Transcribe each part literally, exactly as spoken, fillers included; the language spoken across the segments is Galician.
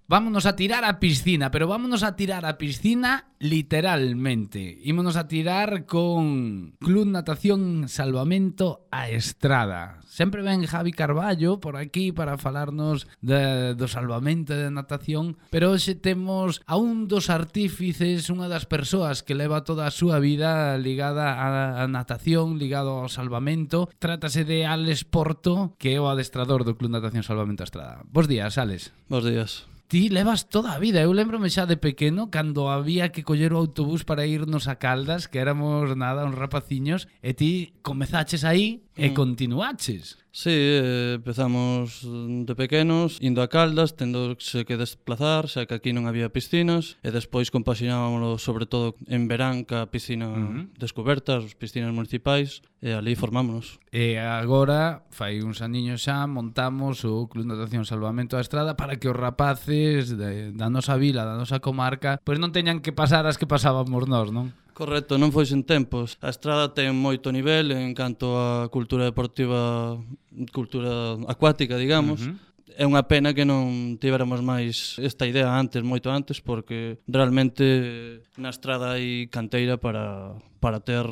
Vámonos a tirar a piscina, pero vámonos a tirar a piscina literalmente. Ímonos a tirar con Club Natación Salvamento a Estrada. Sempre ven Javi Carballo por aquí para falarnos de, do salvamento de natación, pero hoxe temos a un dos artífices, unha das persoas que leva toda a súa vida ligada a, a natación, ligado ao salvamento. Trátase de Alex Porto, que é o adestrador do Club Natación Salvamento a Estrada. Bos días, Alex. Bos días. Ti levas toda a vida. Eu lembrome xa de pequeno cando había que coller o autobús para irnos a Caldas, que éramos nada, uns rapaciños, e ti comezaches aí e mm. continuaches. Sí, eh, empezamos de pequenos, indo a Caldas, tendose que desplazar, xa que aquí non había piscinas, e despois compaxinábamos sobre todo en verán ca piscina uh-huh. descoberta, as piscinas municipais, e ali formámonos. E agora, fai uns aniños xa, montamos o Club Natación Salvamento a Estrada para que os rapaces de, da nosa vila, da nosa comarca, pois non teñan que pasar as que pasábamos nós, non? Correcto, non foi sen tempos. A Estrada ten moito nivel en canto a cultura deportiva, cultura acuática, digamos. Uh-huh. É unha pena que non tivéramos máis esta idea antes, moito antes, porque realmente na Estrada hai canteira para, para ter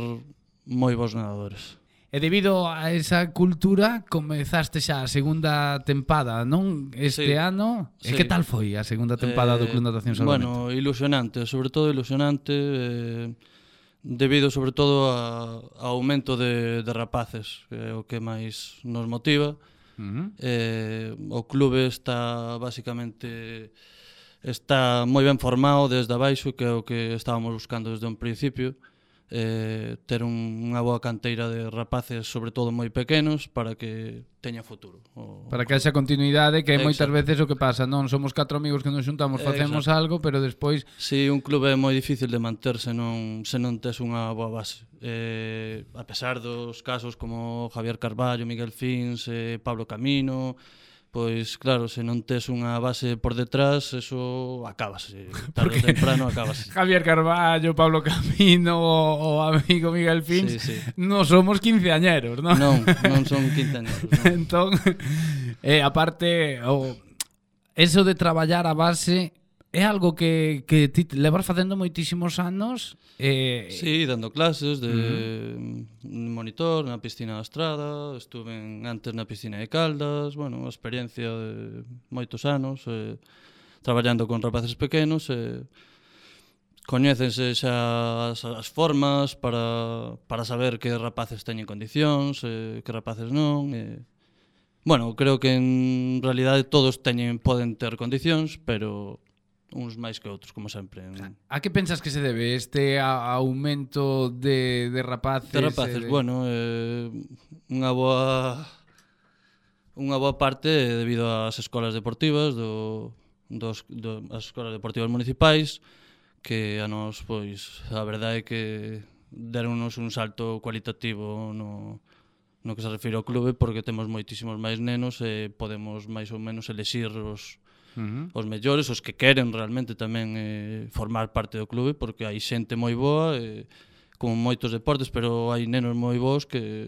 moi bons nadadores. E debido a esa cultura comezaste xa a segunda tempada, non? Este sí, ano. E sí. Que tal foi a segunda tempada eh, do Club Natación Salvamento? Bueno, ilusionante, sobre todo ilusionante, eh, debido sobre todo a, a aumento de, de rapaces, que é o que máis nos motiva. Uh-huh. Eh, o clube está basicamente está moi ben formado desde abaixo, que é o que estábamos buscando desde un principio. Eh, ter un, unha boa canteira de rapaces, sobre todo moi pequenos, para que teña futuro. O, para que haxa continuidade, que é moitas veces o que pasa, non? Somos catro amigos que nos xuntamos, facemos Exacto. algo, pero despois... Si, sí, un clube é moi difícil de manterse non, se non tes unha boa base. Eh, a pesar dos casos como Javier Carballo, Miguel Fins, eh, Pablo Camino... Pois claro, se non tes unha base por detrás, eso acabase, tarde ou temprano acabase. Javier Carballo, Pablo Camino, o, o amigo Miguel Fins, sí, sí. Non somos quinceañeros, non? Non, non son quinceañeros. Non. Entón, eh, aparte, o, eso de traballar a base é algo que, que ti levas facendo moitísimos anos. Eh... Sí, dando clases de uh-huh. monitor na piscina da Estrada, estuve en, antes na piscina de Caldas, bueno, unha experiencia de moitos anos, eh, traballando con rapaces pequenos, eh, coñécense xa as, as formas para, para saber que rapaces teñen condicións, eh, que rapaces non, eh, bueno, creo que en realidade todos teñen, poden ter condicións, pero uns máis que outros, como sempre. A que pensas que se debe este a, aumento de, de rapaces? De rapaces, de... bueno, eh, unha boa unha boa parte debido ás escolas deportivas do, dos, do, as escolas deportivas municipais, que a nos, pois, a verdade é que deronnos un salto cualitativo no, no que se refire ao clube, porque temos moitísimos máis nenos e podemos máis ou menos elexir os Uh-huh. os mellores, os que queren realmente tamén eh, formar parte do clube, porque hai xente moi boa, eh, como moitos deportes, pero hai nenos moi bons que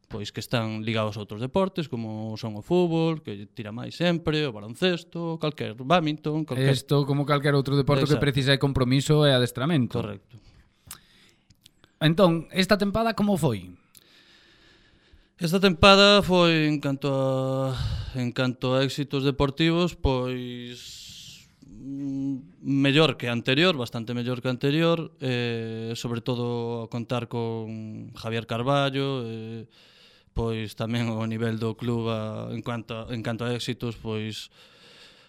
pois que están ligados a outros deportes, como son o fútbol, que tira máis sempre, o baloncesto, calquer badminton, calquer... Isto como calquer outro deporte Exacto. Que precisa de compromiso e adestramento. Correcto. Entón, esta tempada como foi? Esta tempada foi en canto a en canto a éxitos deportivos, pois mellor que a anterior, bastante mellor que a anterior, eh, sobre todo a contar con Javier Carballo, eh, pois tamén o nivel do club a, en cuanto a, en canto a éxitos, pois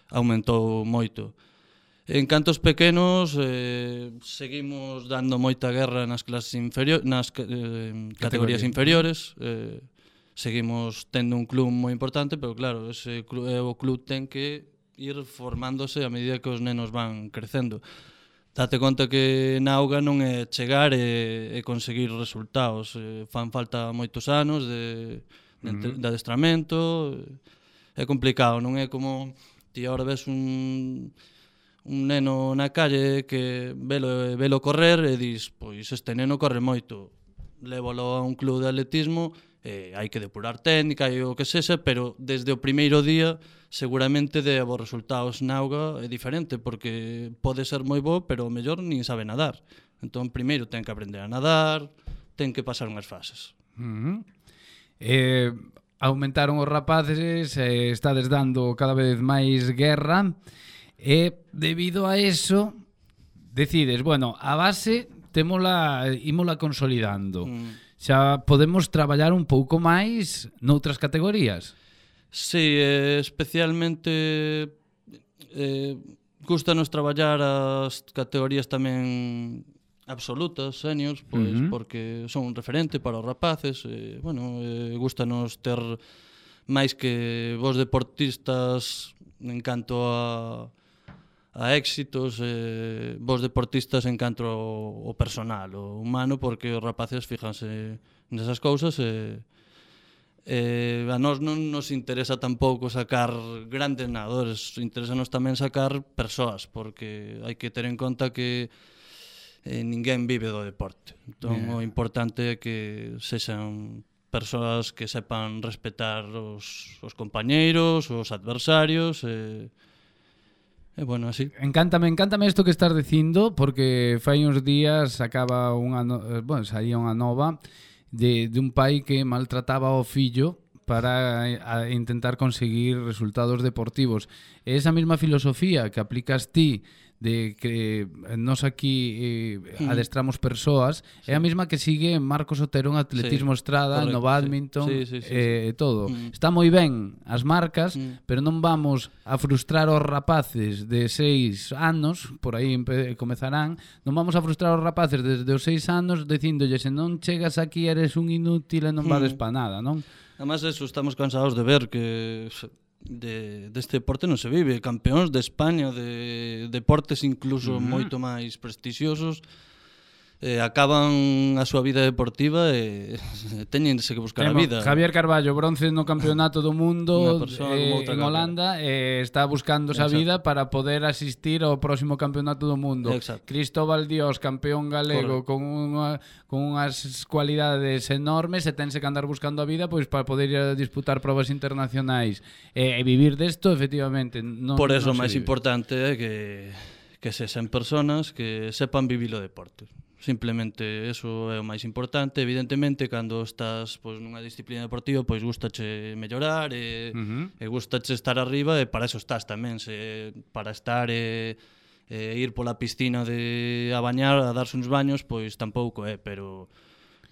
aumentou moito. En cantos pequenos, eh, seguimos dando moita guerra nas clases inferiores, nas eh, categorías inferiores, eh, seguimos tendo un club moi importante, pero claro, ese club, o club ten que ir formándose a medida que os nenos van crecendo. Date conta que na auga non é chegar e, e conseguir resultados. Eh, fan falta moitos anos de, de, uh-huh. de adestramento. É complicado, non é como ti agora ves un, un neno na calle que velo, velo correr e dis, pois este neno corre moito. Lévalo a un club de atletismo eh, hai que depurar técnica e o que sexa, pero desde o primeiro día seguramente de os resultados na auga é diferente, porque pode ser moi bo, pero o mellor nin sabe nadar. Entón, primeiro ten que aprender a nadar, ten que pasar unhas fases. Uh -huh. Eh, aumentaron os rapaces, eh, estades dando cada vez máis guerra, e debido a eso decides, bueno, a base témola, ímola consolidando. Mm. Xa podemos traballar un pouco máis noutras categorías. Sí, eh, especialmente eh, gustanos traballar as categorías tamén absolutas, seniors, pois, uh -huh. porque son un referente para os rapaces. Eh, bueno, eh, gustanos ter máis que vos deportistas en canto a, a éxitos, eh, vos deportistas en canto ao, ao personal, o humano, porque os rapaces fíjanse nesas cousas e eh, a nós non nos interesa tampouco sacar grandes nadadores, interesanos tamén sacar persoas, porque hai que ter en conta que eh, ninguén vive do deporte. Entón, yeah. o importante é que sexan persoas que sepan respetar os, os compañeiros, os adversarios, e, e bueno, así. Encántame, encántame isto que estás dicindo, porque fai uns días acaba unha, no... bueno, saía unha nova de, de un pai que maltrataba ao fillo para a intentar conseguir resultados deportivos. E esa mesma filosofía que aplicas ti de que nos aquí eh, mm. adestramos persoas, sí. é a mesma que sigue Marcos Otero en atletismo sí, estrada, correcto, no badminton, sí. Sí, sí, sí, e eh, todo. Mm. Está moi ben as marcas, mm. pero non vamos a frustrar os rapaces de seis anos, por aí comezarán, non vamos a frustrar os rapaces desde os seis anos dicíndolle, se non chegas aquí eres un inútil e non vales mm. pa nada, non? Además, eso, estamos cansados de ver que de, deste deporte non se vive. Campeóns de España, de deportes incluso uh -huh. moito máis prestixiosos, eh, acaban a súa vida deportiva e teñense que buscar Temo, a vida. Javier Carballo, bronce no campeonato do mundo eh, en Holanda, e eh, está buscando esa vida para poder asistir ao próximo campeonato do mundo. Exacto. Cristóbal Dios, campeón galego, con, unha, con unhas cualidades enormes, e tense que andar buscando a vida pois para poder ir a disputar probas internacionais e, e vivir desto, efectivamente. Non, Por eso o non máis importante é que, que se sen personas que sepan vivir o deporte. Simplemente eso é o máis importante. Evidentemente, cando estás pois, nunha disciplina deportiva, pois gustache mellorar e, uh -huh. e gustache estar arriba, e para eso estás tamén, se, para estar e, e ir pola piscina de a bañar, a darse uns baños, pois tampouco é, pero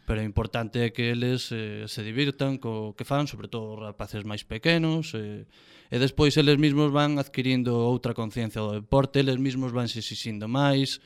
pero o importante é que eles eh, se divirtan co que fan, sobre todo os rapaces máis pequenos, e, e despois eles mesmos van adquirindo outra conciencia do deporte, eles mesmos van se exixindo máis.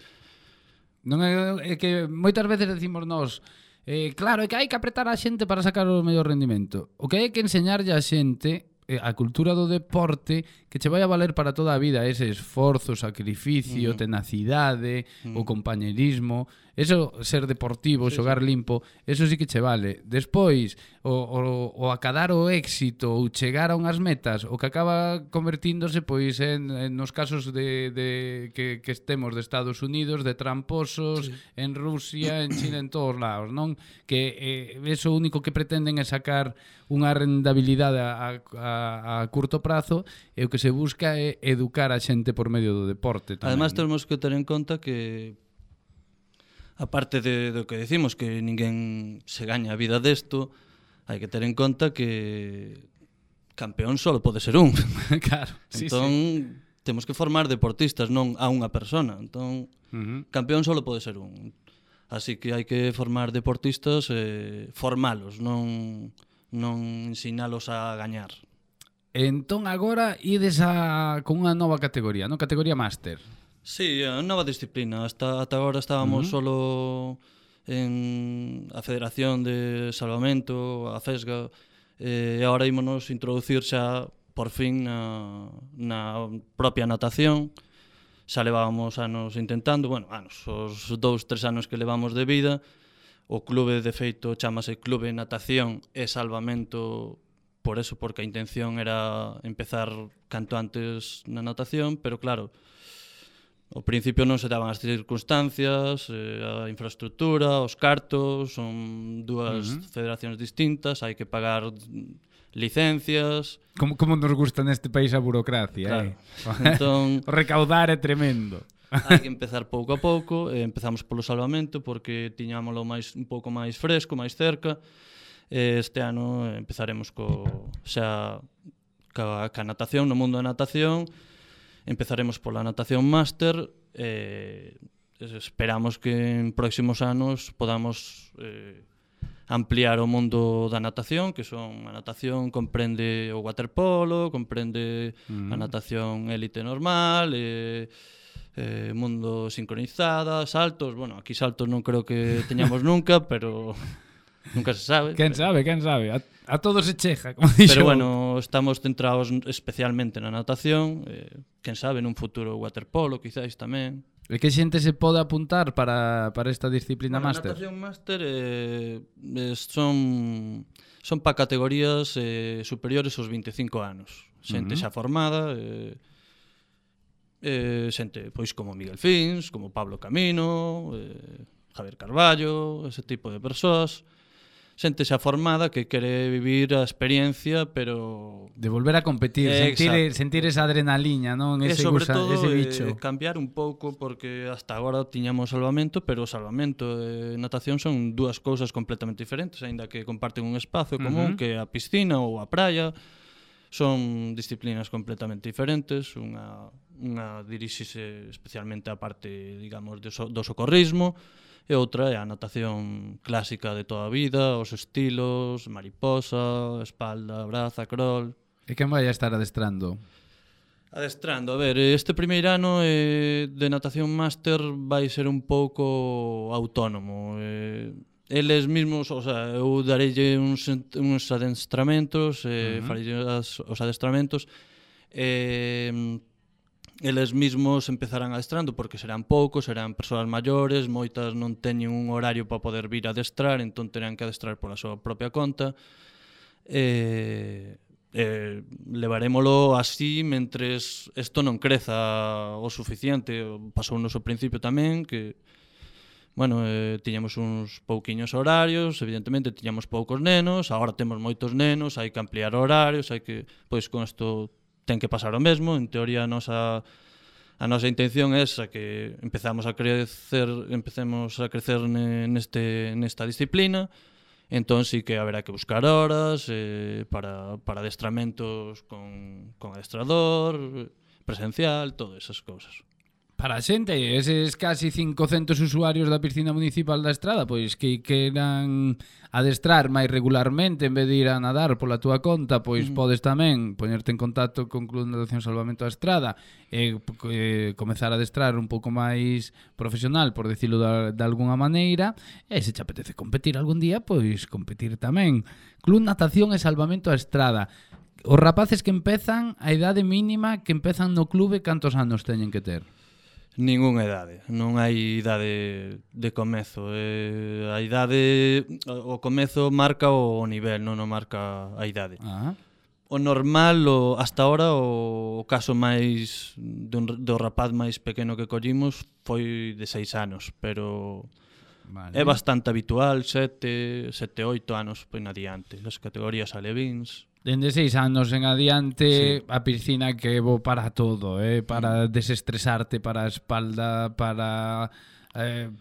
Non é, é que moitas veces decimos nós, eh, claro, é que hai que apretar a xente para sacar o mellor rendimento. O que hai que enseñarlle a xente, eh, a cultura do deporte, que che vai a valer para toda a vida, ese esforzo, sacrificio, uh -huh. tenacidade, uh -huh. o compañerismo, eso, ser deportivo, sí, xogar sí. limpo, eso sí que che vale. Despois, o, o, o acadar o éxito ou chegar a unhas metas, o que acaba convertíndose pois en, en nos casos de, de que, que estemos de Estados Unidos, de tramposos, sí. en Rusia, en China, en todos lados, non? Que eh, eso único que pretenden é sacar unha rentabilidade a, a, a curto prazo, e o que se busca é educar a xente por medio do deporte tamén. Además, temos que ter en conta que aparte de do que decimos, que ninguén se gaña a vida desto, hai que ter en conta que campeón só pode ser un. Claro, entón, sí, sí. temos que formar deportistas, non a unha persona. Entón, uh -huh. campeón só pode ser un. Así que hai que formar deportistas, eh, formalos, non, non ensinalos a gañar. Entón, agora ides a, con unha nova categoría, non? Categoría máster. Sí, a nova disciplina. Hasta ata agora estábamos uh -huh. solo en a Federación de Salvamento, a FESGA, e agora ímonos introducir xa por fin na, na propia natación. Xa levábamos anos intentando, bueno, anos, os dous, tres anos que levamos de vida. O clube, de feito, chamase Clube Natación e Salvamento por eso, porque a intención era empezar canto antes na natación, pero claro, ao principio non se daban as circunstancias, eh, a infraestructura, os cartos, son dúas uh-huh. federacións distintas, hai que pagar licencias. Como, como nos gusta neste país a burocracia, claro. eh? Entón, o recaudar é tremendo. Hai que empezar pouco a pouco, e empezamos polo salvamento porque tiñámoslo máis un pouco máis fresco, máis cerca. Este ano empezaremos co xa ca, ca natación, no mundo da natación. Empezaremos pola natación máster e esperamos que en próximos anos podamos eh, ampliar o mundo da natación, que son a natación comprende o waterpolo, comprende mm. a natación élite normal, e eh, mundo sincronizada, saltos, bueno, aquí saltos non creo que teñamos nunca, pero nunca se sabe. Quen pero... sabe, quen sabe, a, a todo se cheja, como dixo. Pero bueno, estamos centrados especialmente na natación, eh, quen sabe, nun futuro waterpolo, quizáis tamén. E que xente se pode apuntar para, para esta disciplina bueno, máster? A natación máster eh, eh, son son para categorías eh, superiores aos veinticinco anos. Xente uh-huh. xa formada, eh, eh, xente pois como Miguel Fins, como Pablo Camino, eh, Javier Carballo, ese tipo de persoas. Xente xa formada que quere vivir a experiencia, pero... De volver a competir, eh, sentir, sentir esa adrenaliña, non? Ese, e sobre gusa, todo ese bicho. Eh, cambiar un pouco, porque hasta agora tiñamos salvamento, pero o salvamento e natación son dúas cousas completamente diferentes, aínda que comparten un espazo común, uh-huh. que a piscina ou a praia. Son disciplinas completamente diferentes, unha, unha dirixise especialmente a parte, digamos, do, so, do socorrismo, e outra é a natación clásica de toda a vida, os estilos, mariposa, espalda, braza, crawl. E quen vai a estar adestrando? Adestrando, a ver, este primeiro ano eh, de natación máster vai ser un pouco autónomo. Eh, eles mesmos, o sea, eu dareille uns, uns adestramentos, eh, uh-huh. farei os adestramentos, e... Eh, eles mesmos empezarán adestrando porque serán poucos, serán persoas maiores, moitas non teñen un horario para poder vir a adestrar, entón terán que adestrar pola súa propia conta. E, e levarémolo así mentres isto non creza o suficiente. Pasou no seu principio tamén que bueno, eh, tiñamos uns pouquiños horarios, evidentemente tiñamos poucos nenos, agora temos moitos nenos, hai que ampliar horarios, hai que, pois con isto ten que pasar o mesmo. En teoría a nosa a nosa intención é esa, que empezamos a crecer, empecemos a crecer neste nesta disciplina. Entón sí que haberá que buscar horas eh, para para adestramentos con con adestrador, presencial, todas esas cousas. Para a xente, eses casi cincocentos usuarios da piscina municipal da Estrada, pois que queran adestrar máis regularmente en vez de ir a nadar pola túa conta, pois mm. podes tamén poñerte en contacto con Club Natación Salvamento da Estrada e eh, comezar a adestrar un pouco máis profesional, por decirlo de, de alguna maneira, e se te apetece competir algún día, pois competir tamén. Club Natación e Salvamento da Estrada. Os rapaces que empezan, a idade mínima que empezan no clube, cantos anos teñen que ter? Ningunha idade, non hai idade de comezo. Eh, a idade, o comezo marca o nivel, non o marca a idade. Ah. O normal, o, hasta ahora, o, o caso máis do, do rapaz máis pequeno que collimos foi de seis anos, pero vale. É bastante habitual, sete, sete, oito anos pois adiante. As categorías alevíns. Dende seis anos en adiante, sí. A piscina que bo para todo, eh? Para desestresarte, para a espalda, para eh,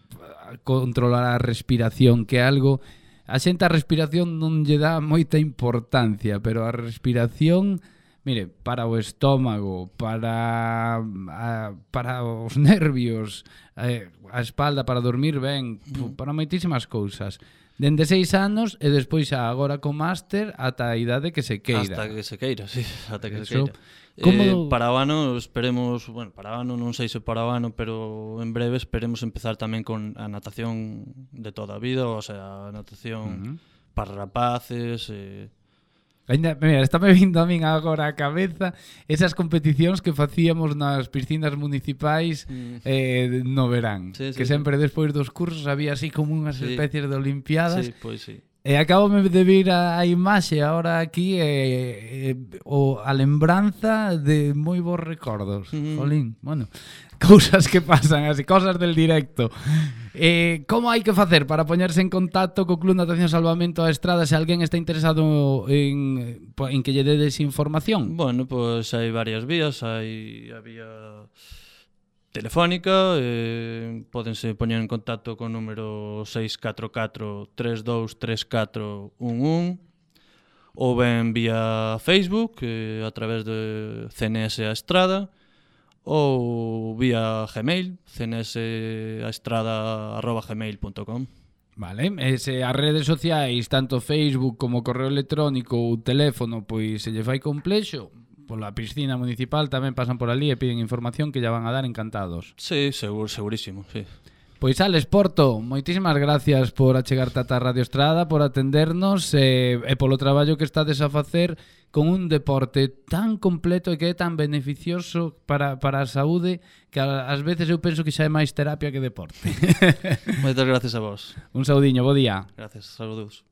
controlar a respiración, que é algo... A xente a respiración non lle dá moita importancia, pero a respiración, mire, para o estómago, para a, para os nervios, eh, a espalda, para dormir ben, mm. para moitísimas cousas. Dende seis anos e despois xa agora co máster ata a idade que se queira. Hasta que se queira, sí, ata que Eso, se queira. Como... Eh, para o ano esperemos, bueno, para o ano non sei se para o ano, pero en breve esperemos empezar tamén con a natación de toda a vida, o sea, a natación uh-huh. para rapaces, eh, Ainda, mira, estáme vindo a min agora a cabeza esas competicións que facíamos nas piscinas municipais mm. eh, no verán. Sí, sí, que sempre sí. Despois dos cursos había así como unhas sí. especies de olimpiadas. Sí, pois sí. E acabame de vir a, a imaxe ahora aquí e, e, o, a lembranza de moi bons recordos. Mm. Jolín, bueno, cousas que pasan así, cosas del directo. Eh, como hai que facer para poñerse en contacto co Club Natación Salvamento a Estrada se alguén está interesado en, en que lle dedes información? Bueno, pois pues hai varias vías, hai a vía telefónica, eh, pódense poñer en contacto con o número seis catro catro, tres dous tres catro un un ou ben vía Facebook eh, a través de C N S a Estrada ou vía Gmail cnsaestrada arroba gmail punto com. Vale, e se as redes sociais, tanto Facebook como correo electrónico ou teléfono, pois se lle fai complexo, pola piscina municipal tamén pasan por ali e piden información que ya van a dar encantados. Sí, seguro, segurísimo, sí. Pois Alex Porto, moitísimas gracias por achegarte ata Radio Estrada, por atendernos e, e polo traballo que estades a facer con un deporte tan completo e que é tan beneficioso para, para a saúde que ás veces eu penso que xa é máis terapia que deporte. Moitas gracias a vos. Un saudiño, bo día. Gracias, saludos.